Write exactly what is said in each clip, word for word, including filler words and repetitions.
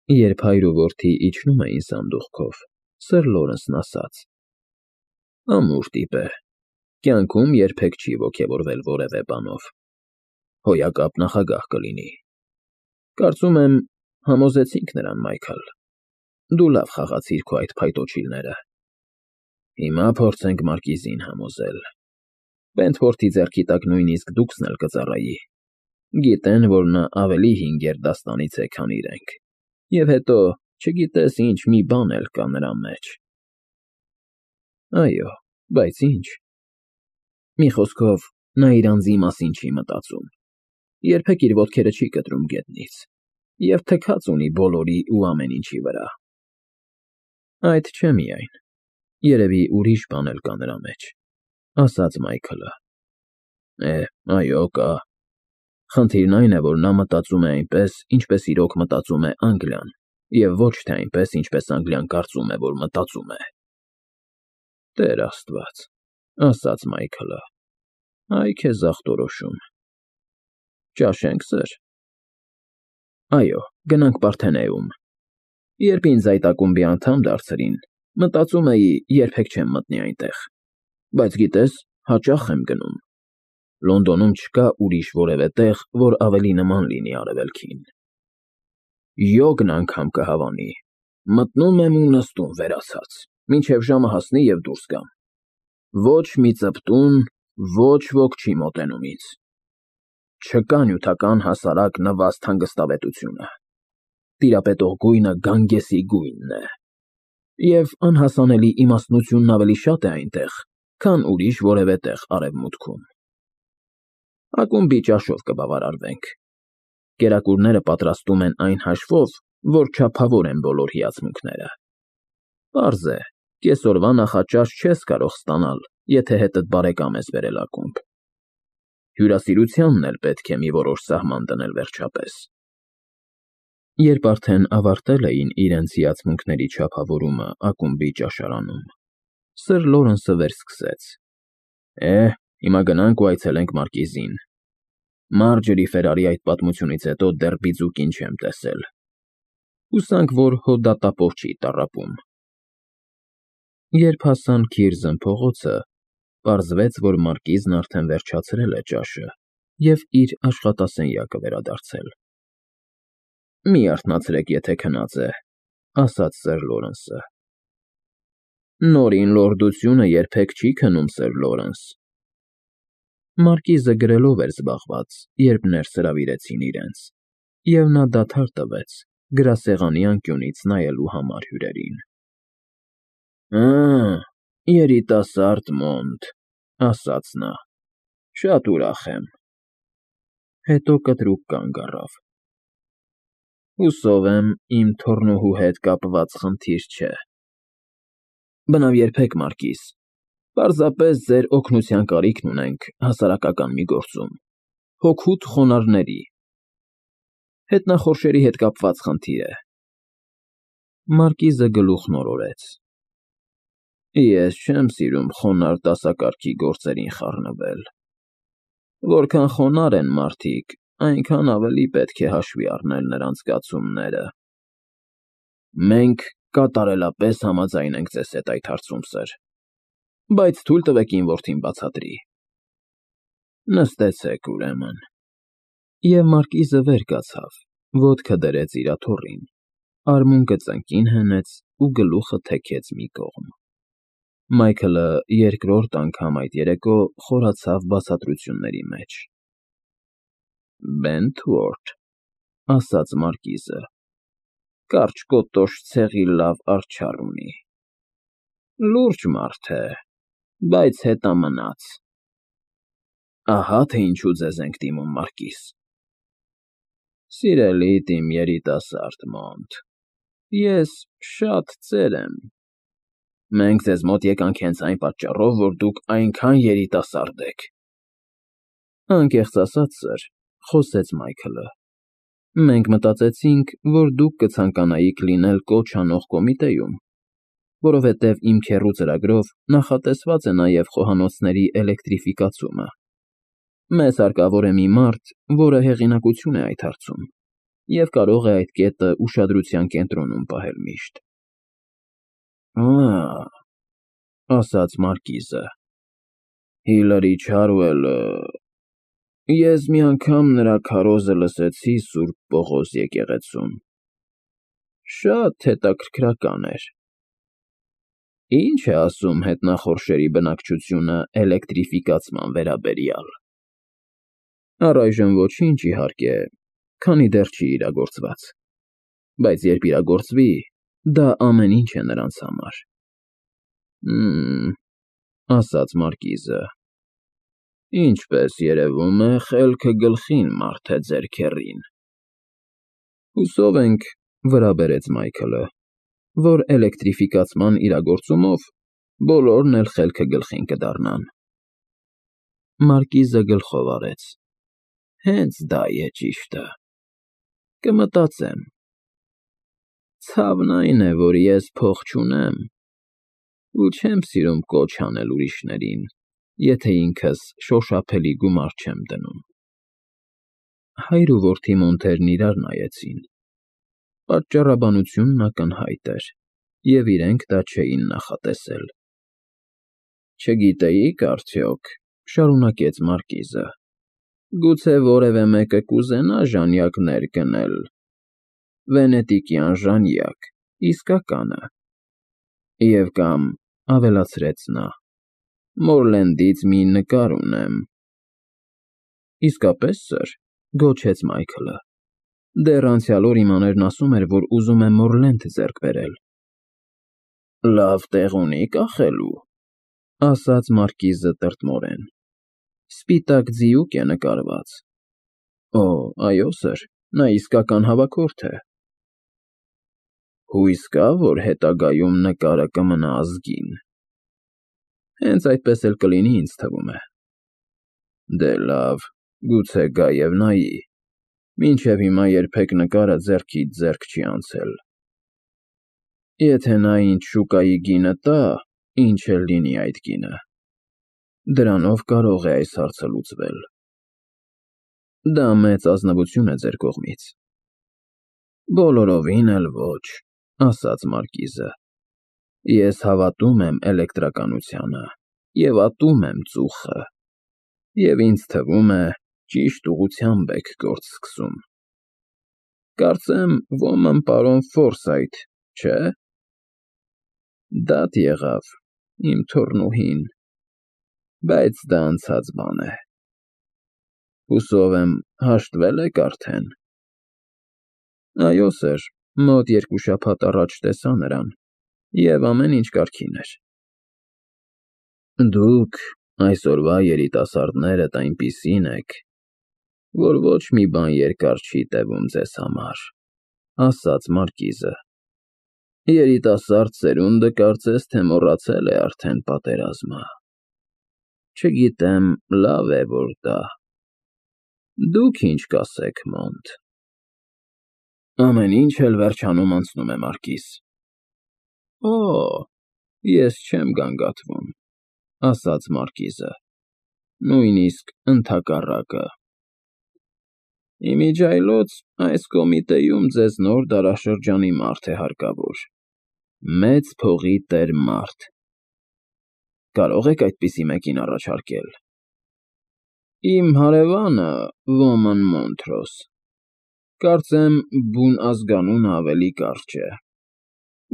Երբ հայր ու որդի իջնում էին սանդուղքով, սըր Լորենսն ասաց. ամուր տիպ է, կյանքում երբեք չի ոգևորվել որևէ բանով, հոյակապ նախագահ կլինի, կարծում եմ համոզեցինք նրան, Մայքլ, դու լավ խաղացիր քո այդ փայտոջիլները, հիմա փորձենք մարկիզին համոզել, Վենտֆորդի ձեռքի տակ նույնիսկ դուքսն էլ կծառայի, գիտեն, որ նա ավելի հին գերդաստանից է, քան իրենք, և հետո չգիտես ինչ մի բան էլ կա նրա մեջ։ Այո, բայց ինչ։ Մի խոսքով, նա իր անձի մասին չի մտածում, երբեք իր ոտքերը չի կտրում գետնից, և թքած ունի բոլորի ու ամեն ինչի վրա։ Այդ չէ միայն, երևի ուրիշ բան էլ կա նրա մեջ, ասաց Մայքլը։ Է, այո, կա։ Խնդիրն այն է, որ նա մտածում է այնպես, ինչպես իրոք մտածում է Անգլիան, և ոչ թե այնպես, ինչպես Անգլիան կարծում է, որ մտածում է։ Տեր Աստված, ասաց Մայքլը, այ քեզ ախտորոշում։ Ճաշե՞նք, սըր։ Այո, գնանք Պարթենեում։ Երբ ինձ այդ ակումբի անդամ դարձրին, մտածում էի, երբեք չեմ մտնի այնտեղ, բայց գիտես, հաճախ եմ գնում։ Լոնդոնում չկա ուրիշ որևէ տեղ, որ ավելի նման լինի Արևելքին։ Յոգն անգամ կհավանի, մտնում եմ ու նստում վերացած, մինչև ժամը հասնի և դուրս գամ։ Ոչ մի ծպտուն, ոչ ոք չի մոտենում ինձ։ Չկա նյութական հասարակ նվաստ հանգստավետությունը։ Տիրապետող գույնը Գանգեսի գույնն է։ Եվ անհասանելի իմաստնությունն ավելի շատ է այնտեղ, քան ուրիշ որևէ տեղ Արևմուտքում։ Ակումբի ճաշով կբավարարվենք։ Կերակուրները պատրաստում են այն հաշվով, որ չափավոր են բոլոր հիացմունքները։ Պարզ է, կեսօրվա նախաճաշ չես կարող ստանալ, եթե հետդ բարեկամ ես բերել ակումբ։ Հյուրասիրությանն էլ պետք է մի որոշ սահման դնել վերջապես։ Երբ արդեն ավարտել էին իրենց հիացմունքների չափավորումը ակումբի ճաշարանում, սըր Լորենսը վերսկսեց. Է, հիմա գնանք ու այցելենք Մարկիզին։ Մարջերի Ֆերարի այդ պատմությունից հետո դեռ բիձուկին չեմ տեսել։ Հուսանք, որ հո դատապով չի տառապում։ Երբ հասան Քիրզն փողոցը, պարզվեց, որ Մարկիզն արդեն վերջացրել է ճաշը և իր աշխատասենյակը վերադարձել։ Մի արթնացրեք, եթե քնած է, ասաց սըր Լորենսը։ Նորին լորդությունը երբեք չի քնում, սըր Լորենս։ Մարկիզը գրելով էր զբաղված, երբ ներս հրավիրեցին իրենց, և նա դադար տվեց, գրասեղանի անկյունից նայելու համար հյուրերին։ Ա, երիտասարդ Մոնտ, ասաց նա, շատ ուրախ եմ։ Հետո կտրուկ կանգ առավ։ Հուսով եմ, իմ թոռնուհու հետ կապված խնդիր չէ։ Բնավ երբեք, Մարկիզ, պարզապես ձեր օգնության կարիքն ունենք հասարակական մի գործում, հօգուտ խոնարհների, հետնախորշերի հետ կապված խնդիր է։ Մարկիզը գլուխն օրորեց։ Ես չեմ սիրում խոնարհ դասակարգի գործերին խառնվել։ Որքան խոնարհ են մարդիկ, այնքան ավելի պետք է հաշվի առնել նրանց զգացումները։ Մենք կատարելապես համաձայն ենք ձեզ հետ այդ հարցում, սըր, բայց թույլ տվեք իմ որդին բացատրի։ Նստեցեք, ուրեմն։ Եվ Մարկիզը վեր կացավ, ոտքը դրեց իր աթոռին, արմունկը ծնկին հենեց ու գլուխը թեքեց մի կողմ։ Մայքլը երկրորդ անգամ այդ երեկո խորացավ բացատրությունների մեջ։ Բենթվորթ, ասաց Մարկիզը, կարճ կոտոշ ցեղի լավ արջառ ունի։ Լուրջ մարդ է, բայց հետամնաց։ Ահա թե ինչու ձեզ ենք դիմում, Մարկիզ։ Սիրելիդ իմ երիտասարդ Մոնտ, ես շատ ծեր եմ։ Մենք ձեզ մոտ եկանք հենց այն պատճառով, որ դուք այնքան երիտասարդ եք։ Անկեղծ ասած, սըր, խոսեց Մայքլը, մենք մտածեցինք, որ դուք կցանկանայիք լինել կոչ անող կոմիտեում, որովհետև իմ քեռու ծրագրով նախատեսված է նաև խոհանոցների էլեկտրիֆիկացումը։ Մեզ հարկավոր է մի մարդ, որը հեղինակություն է այդ հարցում, և կարող է այդ կետը ուշադրության կենտրոնում պահել միշտ։ Ա՜, ասաց Մարկիզը, Հիլարի Չարուելը… Ես մի անգամ նրա քարոզը լսեցի Սուրբ Պողոս եկեղեցում, շատ հետաքրքրական էր։ Ի՞նչ է ասում հետնախորշերի բնակչությունը էլեկտրիֆիկացման վերաբերյալ։ Առայժմ ոչինչ, իհարկե, քանի դեռ չի իրագործված, բայց երբ իրագործվի, դա ամեն ինչ է նրանց համար։ Հ'մ, ասաց Մարկիզը, ինչպես երևում է, խելքը գլխին մարդ է ձեր քեռին։ Հուսով ենք, վրա բերեց Մայքլը, որ էլեկտրիֆիկացման իրագործումով բոլորն էլ խելքը գլխին կդառնան։ Մարկիզը գլխով արեց։ Հենց դա է ճիշտը։ Կմտածեմ։ Ցավն այն է, որ ես փող չունեմ ու չեմ սիրում կոչ անել ուրիշներին, եթե ինքս շոշափելի գումար չեմ դնում։ Հայր ու որդի Մոնթերն իրար նայեցին։ Պատճառաբանությունն ակնհայտ էր, և իրենք դա չէին նախատեսել։ Չգիտեիք արդյոք, շարունակեց Մարկիզը, գուցե որևէ մեկը կուզենա ժանյակներ գնել, վենետիկյան ժանյակ, իսկականը, և կամ, ավելացրեց նա, Մորլենդից մի նկար ունեմ։ Իսկապե՞ս, սըր, գոչեց Մայքլը, դեռ անցյալ օր իմ աներն ասում էր, որ ուզում է Մորլենդ ձեռք բերել։ Լավ տեղ ունի կախելու, ասաց Մարկիզը տրտմորեն, սպիտակ ձիուկ է նկարված։ Օ, այո, սըր, նա իսկական հավաքորդ է։ Հույս կա, որ հետագայում նկարը կմնա ազգին։ Հենց այդպես էլ կլինի, ինձ թվում է։ Դե լավ, գուցե գա և նայի, մինչև հիմա երբեք նկարը ձեռքից ձեռք չի անցել։ Եթե նա ինձ շուկայի գինը տա, ինչ էլ լինի այդ գինը, դրանով կարող է այս հարցը լուծվել։ Դա մեծ ազնվություն է ձեր կողմից։ Բոլորովին էլ ոչ, ասաց Մարկիզը, ես հավատում եմ էլեկտրականությանը և ատում եմ ծուխը, և ինձ թվում է, ճիշտ ուղղությամբ եք գործ սկսում։ Կարծեմ, ոմն պարոն Ֆորսայթ, չէ՞։ Դատ եղավ, իմ թոռնուհին, բայց դա անցած բան է։ Հուսով եմ, հաշտվել եք արդեն։ Այո, սըր, մոտ երկու շաբաթ առաջ տեսա նրան, և ամեն ինչ կարգին էր։ Դուք, այսօրվա երիտասարդներդ այնպիսին եք, որ ոչ մի բան երկար չի տևում ձեզ համար, ասաց Մարկիզը։ Երիտասարդ սերունդը կարծես թե մոռացել է արդեն պատերազմը։ Չգիտեմ, լավ է, որ դա… Դուք ինչ կասեք, Մոնտ։ Ամեն ինչ էլ վերջանում անցնում է, Մարկիզ։ Օ, ես չեմ գանգատվում, ասաց Մարկիզը, նույնիսկ ընդհակառակը։ Իմիջիայլոց այս կոմիտեում ձեզ նոր դարաշրջանի մարդ է հարկավոր, մեծ փողի տեր մարդ։ Կարո՞ղ եք այդպիսի մեկին առաջարկել։ Իմ հարևանը Ոմն Մոնթրոս, կարծեմ բուն ազգանունը ավելի կարճ է,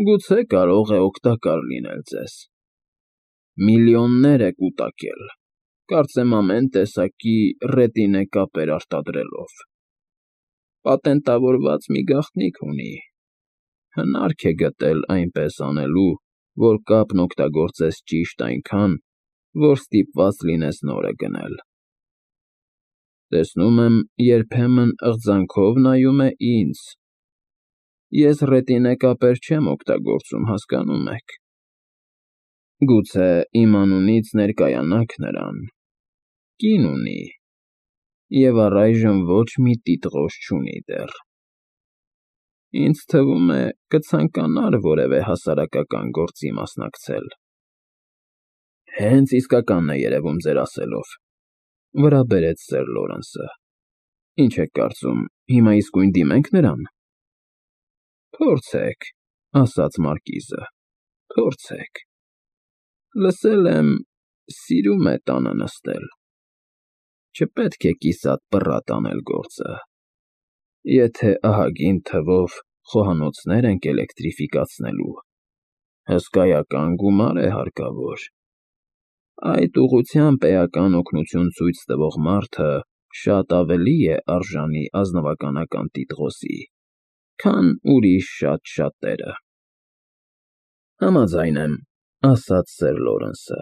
գուցե կարող է օգտակար լինել ձեզ։ Միլիոններ է կուտակել, կարծեմ ամեն տեսակի ռետինե կապեր արտադրելով։ Պատենտավորված մի գաղտնիք ունի, հնարք է գտել այնպես անելու, որ կապն օգտագործես ճիշտ այնքան, որ ստիպված լինես նորը գնել։ Տեսնում եմ, երբեմն ըղձանքով նայում է ինձ։ Ես ռետինե կապեր չեմ օգտագործում, հասկանում եք։ Գուցե իմ անունից ներկայանաք նրան, կին ունի, և առայժմ ոչ մի տիտղոս չունի դեռ։ Ինձ թվում է, կցանկանար որևէ հասարակական գործի մասնակցել։ Հենց իսկականն է երևում ձեր ասելով, վրա բերեց սըր Լորենսը։ Ինչ եք կարծում, հիմա իսկույն դիմե՞նք նրան։ Փորձեք, ասաց մարկիզը, փորձեք։ Լսել եմ, սիրում է տանը նստել։ Չպետք է կիսատ պռատ անել գործը։ Եթե ահագին թվով խոհանոցներ ենք էլեկտրիֆիկացնելու, հսկայական գումար է հարկավոր։ Այդ ուղղությամբ էական օգնություն ցույց տվող մարդը շատ ավելի է արժանի ազնվականական տիտղոսի, քան ուրիշ շատ շատերը։ Համաձայն եմ, ասաց սեր Լորենսը,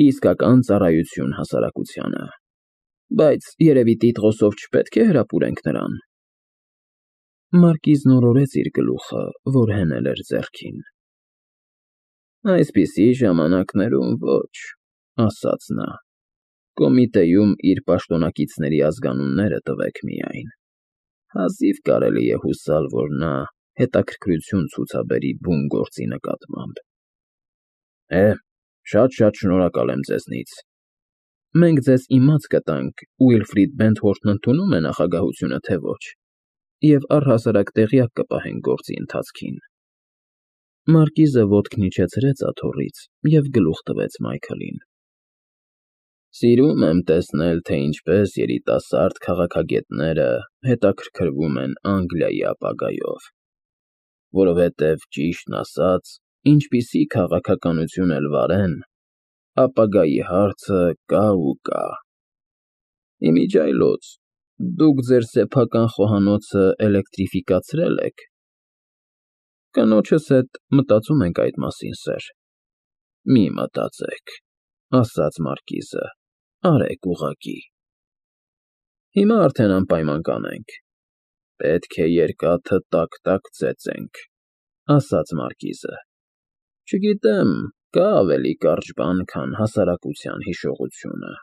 իսկական ծառայություն հասարակությանը, բայց երևի տիտղոսով չպետք է հրապուրենք նրան։ Մարկիզն օրորեց իր գլուխը, որ հենել էր ձեռքին։ Այսպիսի ժամանակներում ոչ, ասաց նա, կոմիտեում իր պաշտոնակիցների ազգանունները տվեք միայն, հազիվ կարելի է հուսալ, որ նա հետաքրքրություն ցուցաբերի բուն գործի նկատմամբ։ Է, շատ-շատ շնորհակալ եմ ձեզնից։ Մենք ձեզ իմաց կտանք Ուիլֆրիդ Բենթվորթն ընդունում է նախագահությունը, թե ոչ, և առհասարակ տեղյակ կպահենք գործի ընթացքին։ Մարկիզը ոտքն իջեցրեց աթոռից և գլուխ տվեց Մայքլին։ Սիրում եմ տեսնել, թե ինչպես երիտասարդ քաղաքագետները հետաքրքրվում են Անգլիայի ապագայով, որովհետև, ճիշտն ասած, ինչպիսի քաղաքականություն էլ վարեն, ապագայի հարցը կա ու կա։ Իմիջիայլոց, դուք ձեր սեփական խոհանոցը էլեկտրիֆիկացրե՞լ եք։ Կնոջս հետ մտածում ենք այդ մասին, սեր։ Մի մտածեք, ասաց մարկիզը, արեք ուղղակի։ Հիմա արդեն անպայման կանենք։ Պետք է երկաթը տաք֊տաք ծեծենք, ասաց մարկիզը։ Չգիտեմ, կա ավելի կարճ բան, քան հասարակության հիշողությունը։